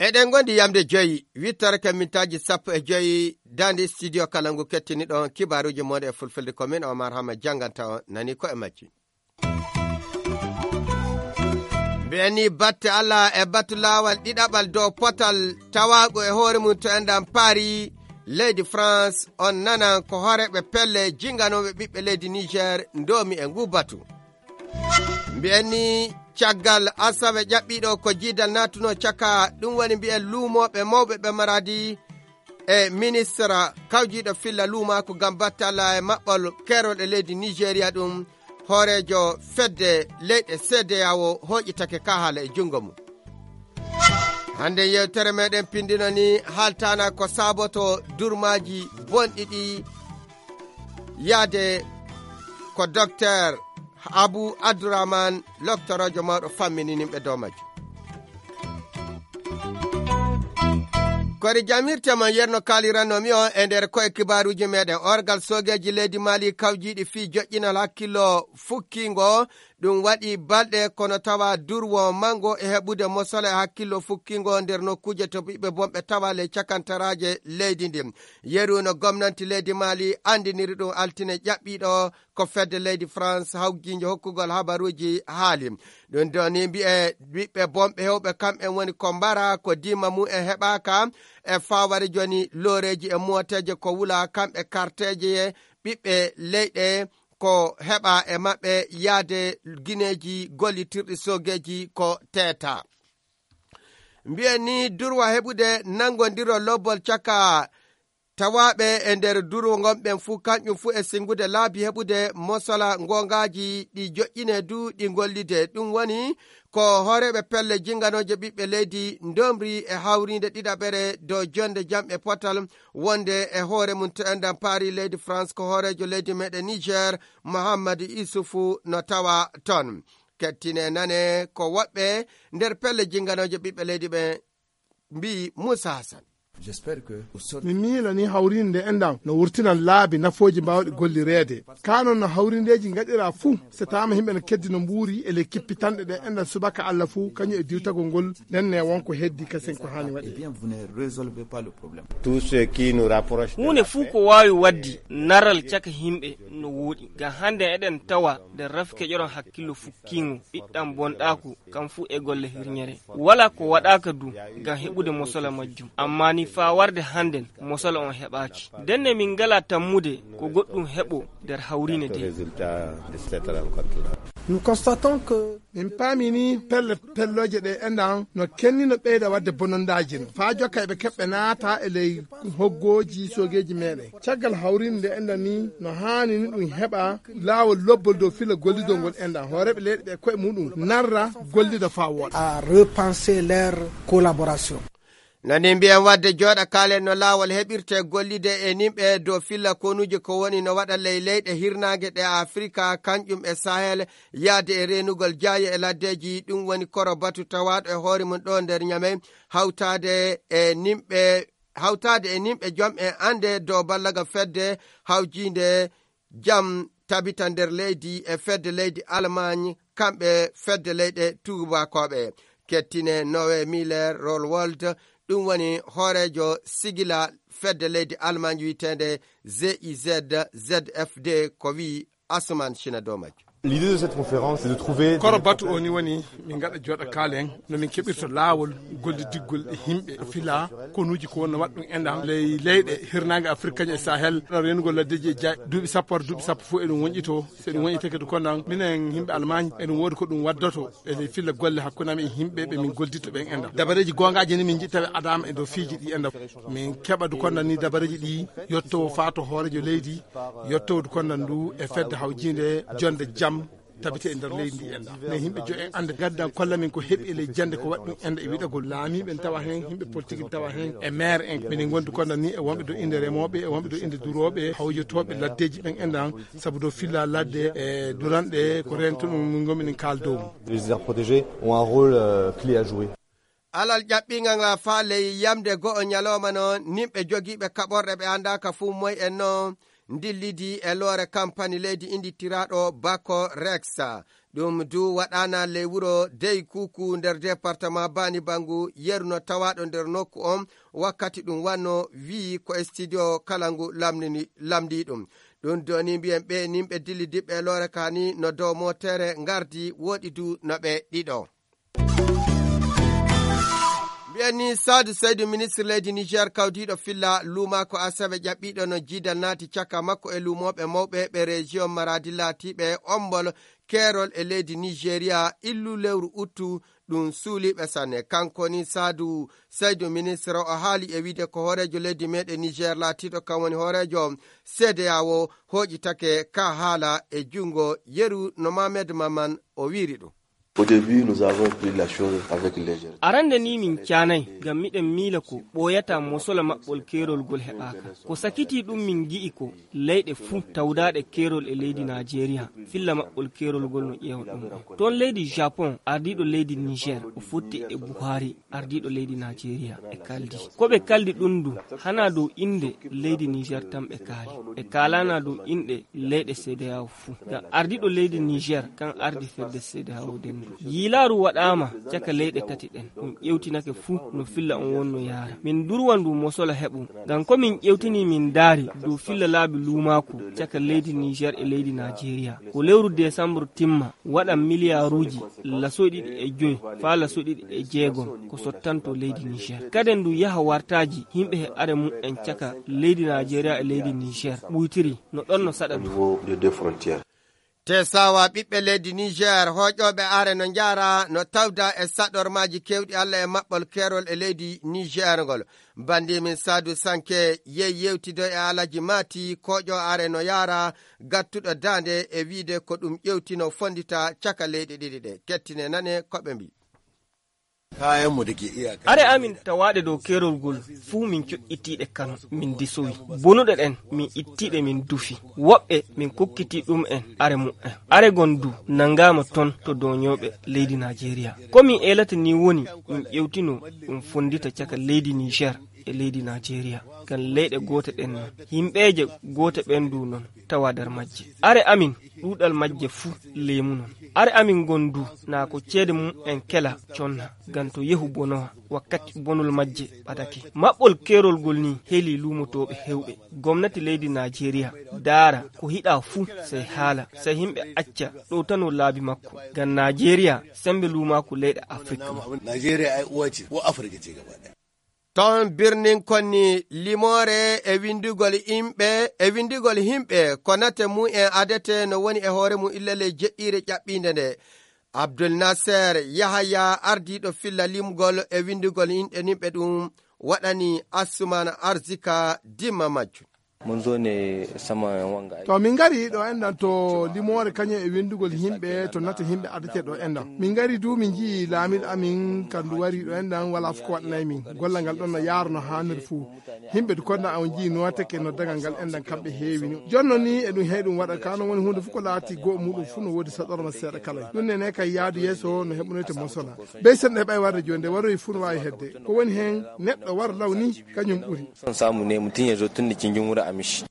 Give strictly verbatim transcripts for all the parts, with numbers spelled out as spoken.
Eɗen ngondi yamde joyi, wittorake mintaaji sappo e joyi, daande studio kala ngu kettiniɗon kibaaruuji moɗo e fulfulde ko min Omar Hama jannganta on nani ko e majji. Mbiyen ni batte Allah e batu laawal ɗiɗaɓal dow potal tawaago e hoore mum to enɗan Paris, leydi France, on nanan ko hooreeɓe pelle jinganooɓe ɓiɓɓe leydi Niger ndoomi e ngu batu. Mbiyen ni caggal asawe ƴaɓɓiiɗo ko jiidal naatuno caka ɗum woni mbiyen luumooɓe mawɓe ɓe maradi e ministra kawjiiɗo filla luumaaku ngam battala e maɓɓol keerol e leydi Nigeria ɗum hooreejo fedde leyɗe C D A O hooƴitake ka haala e junngo mum. Hannde yewtere meɗen pindino ni haaltana ko saboto durmaaji bonɗi ɗi yaade ko Docteur Abu Abdourahmane, loktoroojo mawɗo fammini nimɓe dow majjum. Kori jamirte mon yerno kaliranno mi on e nder koye kibaaruuji meɗen. Orgal soogeeji leydi Mali kawjiiɗi fii joƴƴinal hakkillo fukkingo. Ɗum waɗi balɗe kono tawa durwo mango e heɓude mosole hakkillo fukkingo nder nokkuuje to ɓiɓɓe bonɓe tawa ley cakantaraaje leydi ndin. Yeru no gomnanti leydi Mali andiniri ɗum altine ƴaɓɓiiɗo ko fedde leydi France hawgiinjo hokkugol habaruuji haali. Ɗum ɗo ni mbi'e ɓiɓɓe bonɓe hewɓe kamɓe woni ko mbara ko dima mum e heɓaaka e faware joni looreeji e mooteeje ko wula kamɓe karteeje ɓiɓɓe leyɗe ko heɓa e maɓɓe yaade gineeji gollitirɗi soogeeji ko teeta. Mbiyen ni durwa heɓude nanngondiro lobbol caka tawaaɓe e nder durwo ngon ɓen fuu, kanƴum fuu e sinngude laabi heɓude mosala ngoongaaji ɗi joƴƴine du ɗi ngollide. Ɗum woni ko hooreeɓe pelle jinnganooje ɓiɓɓe leydi ndomri e hawriinde ɗiɗaɓere dow jonnde jam e potal wonde e hoore mum to enɗan paari leydi France ko hooreejo leydi meɗen Niger, Mohammad Isufu no tawa ton. Kettine nane ko woɓɓe nder pelle jinnganooje ɓiɓɓe leydi ɓe mbi'i Moussa Hassan. Mi miila ni hawrinde enɗan no wurtinan laabi nafooji mbaawɗi gollireede. Kaa non no hawrindeeji ngaɗiraa fuu, so taama yimɓe no keddi no mbuuri e ley kippitanɗe ɗe enɗan subaka Alla fuu, kañum e diwtagol ngol nden ne won ko heddi kasen ko haani waɗee. Huunde fuu ko waawi waɗdi naral caka yimɓe no wooɗi. Ngam hannde eɗen tawa nde rafi keƴoron hakkillo fukkiingo, ɗiɗɗam bonɗaaku, kam fuu e golle hirñere. Walaa ko waɗaaka du ngam heɓude mosola majjum. Ammaa ni faa warde hannden, mosola on heɓaaki. Ndenne min ngalaa tammude ko goɗɗum heɓo nder hawriine de. Min paamii ni pelle pellooje ɗe enɗan no kenni no ɓeyda waɗde bonondaaji no. Faa jokka eɓe keɓɓe naata e ley hoggooji soogeeji meɗen. Caggal hawriinde nde enɗan ni no haani ni ɗum heɓa laawol lobbol dow filla gollidol ngol enɗan. Hooreeɓe leyɗe ɓe koye muɗum narra gollida faa wooɗa. À repenser leur collaboration. No ni mbiyen waɗde jooɗa kaalen no laawol heɓirte gollide e nimɓe dow filla konuuji ko woni no waɗa ley leyɗe hirnaange ɗe Afrika, kanƴum e Sahel, yaade e reenugol jaaye e laddeeji. Ɗum woni koro batu tawaaɗo e hoore mum ɗo nder Ñamey, hawtaade e nimɓe, hawtaade e nimɓe jom e annde dow ballaga fedde hawjiinde jam tabita nder leydi e fedde leydi Allemagne, kamɓe fedde leyɗe tuubakooɓe. Kettine Nowe Miller Rollwold, ɗum woni hooreejo sigila fedde leydi Allemagne wiyeteende G I Z Z F D, ko wi'i Asuman Shina dow majjum. L'idée de cette conférence, c'est de trouver... Koro batu o ni woni min ngaɗa jooɗa kaalen no min keɓirta laawol gollidiggol e yimɓe fila konuuji ko wonno waɗa ɗum enɗan ley leyɗe hirnaange Afrik kañum e Sahel, ɗo reenugol laddeeji e jaaƴe duuɓi sappo, duuɓi sappo fof eɗum woñƴitoo. So eɗum woñƴitake du konnan minen yimɓe Allemagne eɗum woodi ko ɗum waddoto e ley filla golle hakkunde amen e yimɓe ɓe min golliditta ɓen enɗan. Dabareeji goongaaji ni min njiɗi tawi adaama e dow fiiji ɗi enɗan. Min keɓa du konnan ni dabareeji ɗi yottowo faa to hooreejo leydi, yottowo du konnan du e fedde hawjiinde jonnde jam tabite e nder leydi ndi enɗan. Ne yimɓe jo en annda gaddan kolla min ko heɓi e ley jannde ko waɗi ɗum enɗan e wiɗagol laamiiɓe en tawa heen, yimɓe politique en tawa heen, e maire en. Minen ngondi konnan ni e wonɓe do innde remooɓe, e wonɓe do innde durooɓe, hawjotooɓe laddeeji ɓen enɗan, sabu do filla ladde e duranɗe ko rento ɗum min ngomi min kaal dow mum. Les aires protégées ont un rôle euh, clé à jouer. Alal ƴaɓɓingal ngal faa ley yamde go'o ñalooma noon, nimɓe jogiiɓe kaɓorɗe ɓe anndaaka fuu moy en noon, ndillidi e loore kampani leydi innditiraaɗo Bako Rex. Ɗum du waɗaana ley wuro Dey Kuku nder departement Bani Bangu, yeru no tawaaɗo nder nokku on, wakkati ɗum wanno wi'i ko e studio kala ngu lamndini-, lamndii ɗum. Ɗum doni mbiyen ɓe nimɓe dillidiɓɓe e loore kaani no dow mootere ngardi, woɗi du no ɓe ɗiɗo. Mbiyen ni Saadu Saydu, ministre leydi Niger kawdiiɗo filla luumaako asawe ƴaɓɓiiɗo no jiidal naati caka makko e luumooɓe mawɓe ɓe région Maradi laatiiɓe ombol keerol e leydi Nigeria illu lewru uttu, ɗum suuliiɓe sanne. Kanko ni Saadu Saydu, ministre o haali e wiide ko hooreejo leydi meɗen Niger laatiiɗo kan woni hooreejo C D A O hooƴitake ka haala e junngo yeru no Mohamed Maman o wiiri ɗum. Au début, nous avons pris la chose avec légèreté. Arande ni min caanay, ngam miɗen miila ko ɓooyata mosola maɓɓol keerol ngol heɓaaka. Ko sakitii ɗum min ngi'i ko leyɗe fuu tawdaaɗe keerol e leydi Naajeeriya, filla maɓɓol keerol ngol no ƴeewa ɗum ɗon. Toon leydi Japon, ardiiɗo leydi Niger, o fotti e Buhari, ardiiɗo leydi Naajeeriya, e kaldi. Ko ɓe kaldi ɗum du, hana dow innde leydi Niger tan ɓe kaali. Ɓe kaalana dow inɗe leyɗe C D A O fuu. Ngam ardiiɗo leydi Niger kan ardi fedde C D A O dendu. Yiilaaru waɗaama caka leyɗe tati ɗen. Ɗum ƴewtinake fuu no filla on wonno yaara. Min durwa ndu mosola heɓu. Ngam ko min ƴewtini min ndaari dow filla laabi luumaaku caka leydi Niger e leydi Naajeeriya. Ko lewru desambar timma waɗa miliyaaruuji laso ɗiɗi e joy faa laso ɗiɗi e jeegom ko sottanto leydi Niger. Kaden ndu yaha wartaaji yimɓe he are mum en caka leydi Naajeeriya e leydi Niger ɓuytiri no ɗon no saɗa ndu. Te sawa ɓiɓɓe leydi Niger, hooƴooɓe are no njaara, no tawda e saɗormaaji keewɗi Alla e maɓɓol keerol e leydi Niger ngol. Bandi min Saadu Sanke yehi yewtido e Alaji Mati, kooƴo are no yaara, gattuɗo daande e wiide ko ɗum ƴewtino fondita caka leyɗe ɗiɗi ɗe. Kettine nane ko ɓe mbi. Kayanmu da ke iyaka. Are amin tawaaɗe dow keerol ngol fuu min coƴƴitiiɗe Kano, min disowi. Bonuɗe ɗen min ittiiɗe min dufi. Woɓɓe min kokkitii ɗum en are mu'en. Are gon du nangaama ton to doonyooɓe leydi Naajeeriya. Ko min eelata ni woni ɗum ƴewtino ɗum fondita caka leydi Niger e leydi Naajeeriya. Ngam leyɗe goote ɗen non. Yimɓeeje goote ɓen du non tawa nder majje. Are amin ɗuuɗal majje fuu leemu non. Are amin ngon du naa ko ceede mum en kela conna, ngam to yehu bonowa wakkati bonol majje ɓadake. Maɓɓol keerol ngol ni heli luumotooɓe heewɓe. Gomnati leydi Naajeeriya daara ko hiɗa fuu sey haala, sey yimɓe acca ɗowtano laabi makko. Ngam Naajeeriya sembe luumaaku leyɗe Afrik. Naajeeriya ay uwa ce, ko Afirka ce gaba ɗaya. Ton birnin konni limoore e winndugol yimɓe, e winndugol yimɓe ko nate mum en adete no woni e hoore mum illa ley jeɗɗiire ƴaɓɓiinde nde. Abdul Nasser Yahaya, ardiiɗo filla limgol e winndugol inɗe nimɓe ɗum, waɗani Assuman Arzika dimma majjum. Mun zo ne saman wanga aiki. To min ngari ɗo enɗan to limoore kañum e winndugol yimɓe to nata yimɓe adete ɗo enɗan. Min ngari du min nji'i laamiiɗo amin kandu wari ɗo enɗan wala fof ko waɗanay min. Gollal ngal ɗon no yaarno haaniri fuu. Yimɓe du konda on nji'i nooteke no dagal ngal enɗan kamɓe heewi ni. Jonno ni e ɗum hey ɗum waɗa kano woni huunde fof ko laati goo muɗum fuu no woodi saɗorma seeɗa kala. Ɗum nene kay yaadu yeeso no heɓunoyte mosola. Bey sen ɗe heɓay warde jooni nde waroyi fuu no waawi hedde. Ko woni heen neɗɗo war law ni kañum ɓuri. Son samu ne mutum ya zo tun da cikin jumhuriyar Amish.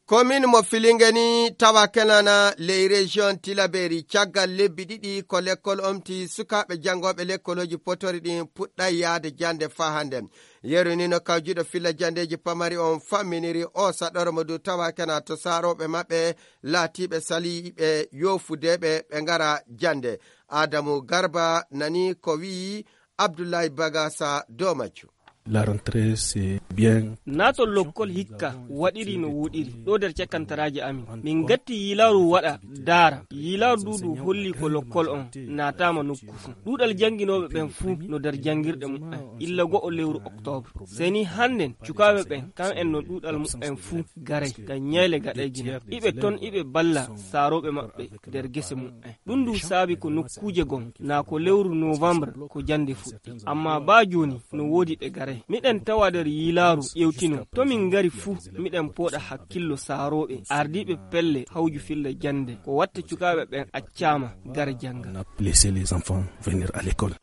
Komin mo Filinge ni tawa kenana ley région Tilaberi, caggal lebbi ɗiɗi ko lekkol omti, sukaaɓe janngooɓe lekkolooji potori ɗin puɗɗay yaade jannde faa hannde. Yeru ni no kawjiɗo filla janndeeji pamari on famminiri o saɗormo du tawa kena to saarooɓe maɓɓe laatiiɓe saliiɓe yoofudeeɓe ɓe ngara jannde. Adamu Garba nani ko wi'i Abdullahi Bagasa dow majju. La rentrée, c'est bien. Naatol lokkol hikka waɗiri no woɗiri ɗo nder cakkantaraaji amin. Min ngatti yiilaaru waɗa daara. Yiilaaru du ndu holli ko lokkol on naataama nokku fuu. Ɗuuɗal jannginooɓe ɓen fuu no nder janngirɗe muɓɓen illa go'o lewru oktoobre. Sey ni hannden cukaaɓe ɓen kan en no ɗuuɗal muɓɓen fuu garay ngam ñayle gaɗayji no. Iɓe ton iɓe balla saarooɓe maɓɓe nder gese muɓɓen. Ɗum ndu saabi ko nokkuuje gon naa ko lewru novembre ko jannde fuɗɗi. Amma baa jooni no woodi ɓe garay. Miɗen tawa nder yiilaaru ƴewtino. To min ngari fuu, miɗen pooɗa hakkillo saarooɓe, ardiiɓe pelle hawju filla jannde. Ko watta cukaaɓe ɓen accaama gara jannga. On a laissé les enfants venir à l'école.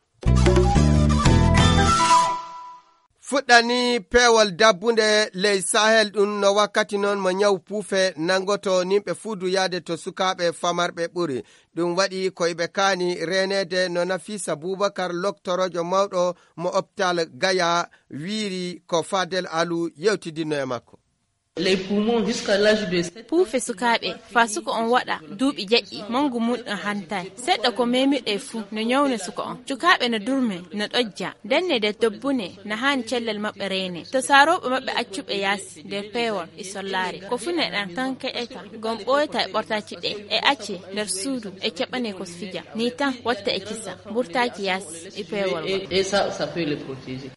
Fuɗɗani peewol dabbunde ley Sahel ɗum no wakkati noon mo ñaw puufe nanngoto nimɓe fuu duyaade to sukaaɓe famarɓe ɓuri. Ɗum waɗi ko iɓe kaani reeneede no Nafisa Bubakar, loktoroojo mawɗo mo optal Gaya, wiiri ko Fadel Alu yewtidinno e makko. Puufe sukaaɓe faa suka on waɗa duuɓi jeɗɗi, manngu mum ɗum hantaay. Seɗɗa ko meemiɗo e fuu no ñawna suka on. Sukaaɓe no durme, no ɗojja, denne nder dobbune, no haani cellal maɓɓe reene. To saarooɓe maɓɓe accuɓe yaasi nder peewol e sollaare. Ko fuu neɗɗan tan keɗeta, ngam ɓooyata e ɓortaaci ɗe, e acce nder suudu, e caɓane ko fija. Nii tan watta e kisa, mburtaaki yaasi e peewol ngol.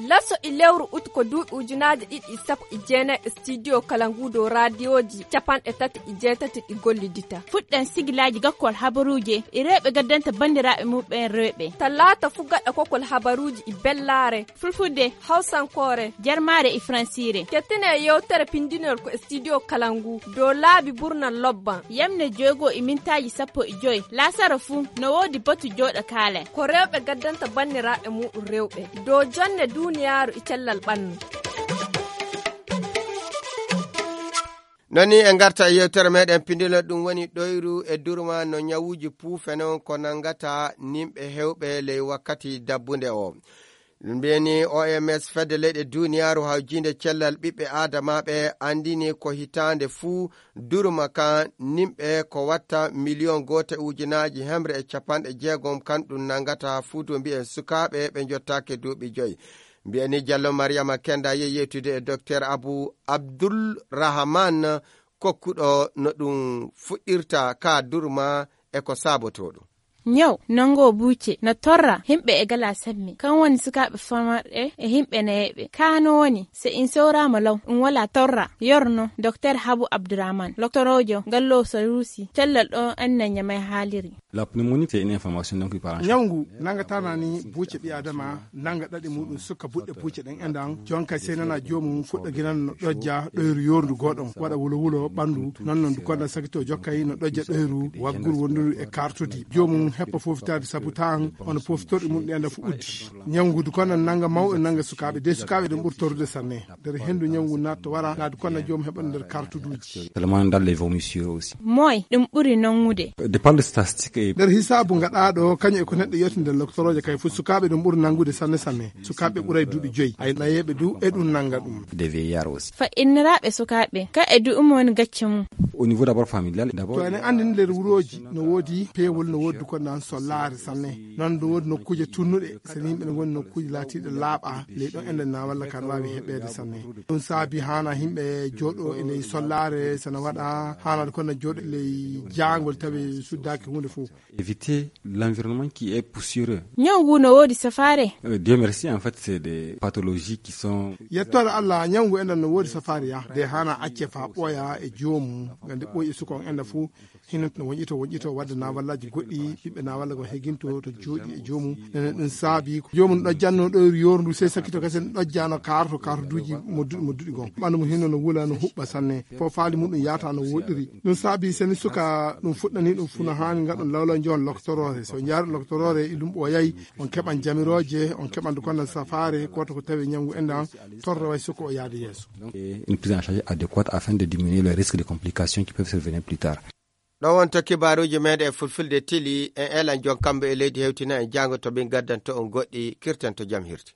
Laso e lewru ut ko duuɓi ujunaaji ɗiɗi e sappo e jeenayi e studio kala ngu dow raadiyooji capanɗe tati e jeetati ɗi gollidita. Fuɗɗan sigilaaji gakkol habaruuje e rewɓe gaddanta banndiraaɓe muɓɓen rewɓe. Talaata fuu gaɗa kokol habaruuji e bellaare. Fulfulde, hawsankoore, jarmaare e fransiire. Kettine e yewtere pindinol ko e studio kala ngu dow laabi burnal lobban. Yamne joygo e mintaaji sappo e joy. Laasara fuu no woodi batu jooɗo kaalen. Ko rewɓe gaddanta banndiraaɓe muɗum rewɓe dow jonne duuniyaaru e cellal ɓannu. Noni e ngarta e yewtere meɗen pindinol ɗum woni ɗoyru e durma no ñawuuji puufe noon ko nanngata nimɓe hewɓe ley wakkati dabbunde o. Mbeni O M S fedde leyɗe duuniyaaru hawjiinde cellal ɓiɓɓe aadamaaɓe anndini ko hitaande fuu durma kan nimɓe ko watta miliyon goote ujunaaji hemre e capanɗe jeegom kan ɗum nanngata fuu du mbiyen sukaaɓe ɓe njottaake duuɓi joyi. Mbiyani Jallo Mariama Kenda yehi yewtude e Dokteer Abu Abdul Rahaman kokkuɗo no ɗum fuɗɗirta ka durma e ko saabotoo ɗum. Ñaw nanngo buuce no torra himɓe e gala samme kan woni sukaaɓe famarɓe e himɓe nayeɓe ka no woni se in sewraama law ɗum wala torra yorno. Dokteer Habu Abdurahman loktoroojo ngallo saruusi cellal ɗo anna ñamay haaliri. La pneumonie c'est une inflammation donc il parent. Ñawngu nangataana ni buuce ɓi adama nanga ɗaɗi muɗum sukka buɗɗe buuce ɗen endan jonka sey nana joomum fuɗɗa ginan no ɗojja ɗoyru yorndu goɗon waɗa wulo wulo ɓandu non non dukonda sakito jokkay no ɗojja ɗoyru wagguru wonduru e kartudi joomum heppa fofitaade sabu tan ono pofitorɗi mum ɗi anda fu uddi. Ñawngu dukonda nanga mawɓe nanga sukaaɓe de sukaaɓe ɗum ɓuri torrude sanne nder hendu ñawngu natto wara na dukonda joomum heɓa nder kartuduuji. Tellement dans les vomissures aussi. Moy ɗum ɓuri nanngude. De par le statistique e nder hisaabu ngaɗaaɗo kañum e ko neɗɗo yewti nder loktorooje kay fof sukaaɓe ɗum ɓuri nanngude sanne sanne. Sukaaɓe ɓuray duuɓi joyi ay nayeeɓe du e ɗum nannga ɗum. De vieillard aussi. Fa'inniraaɓe sukaaɓe ka e du'um woni gacce mum. Au niveau d'abord familial d'abord. To enen anndi nder wurooji no woodi peewol no woodi ko nan sollaare sanne. Noon ɗum woodi nokkuuje tunnuɗe so yimɓe ne ngoni nokkuuje laatiiɗe laaɓa ley ɗon enden na walla kan waawi heɓeede sanne. Ɗum saabi haana yimɓe jooɗo e ley sollaare sana waɗa haana kono jooɗo ley jaangol tawi suddaaki huunde fof. Éviter l'environnement qui est poussiéreux. Ñaw ngu no woodi safaare. Dieu merci en fait c'est des pathologies qui sont. Yettoore Allah ñaw ngu enden no woodi safaare ya de haana acce faa ɓooya e joomum ngam nde ɓooyi e suka on enda fof. Hino no woñƴito woñƴito wadde naawallaaji goɗɗi ɓiɓɓe naawalla ko heginto to jooɗi e joomum. Nene ɗum saabi ko joomum ɗojjanno ɗoyru yorndu sey sakkito kasen ɗojjano kaaroto kaaroduuji modduɗi modduɗi gon ɓanndu mo hino no wula no huɓɓa sanne fof faali muɗum yaata no woɗɗiri. Ɗum saabi seni suka ɗum fuɗɗani ɗum fuu no haani ngaɗon lawla njoon loktoroore so jaari loktoroore e ɗum ɓooyay on keɓan jamirooje on keɓan dukonda safaare koto ko tawi ñawngu endan torroway suka o yaade yeeso. Une prise en charge adéquate afin de diminuer les risques de complications qui peuvent survenir plus tard. Ɗo wonto kibaaruuji meeɗen e fulfulde tili en elan jon kamɓe e leydi hewtina en jaango to min gaddanto on goɗɗi kirtanto jam hirti.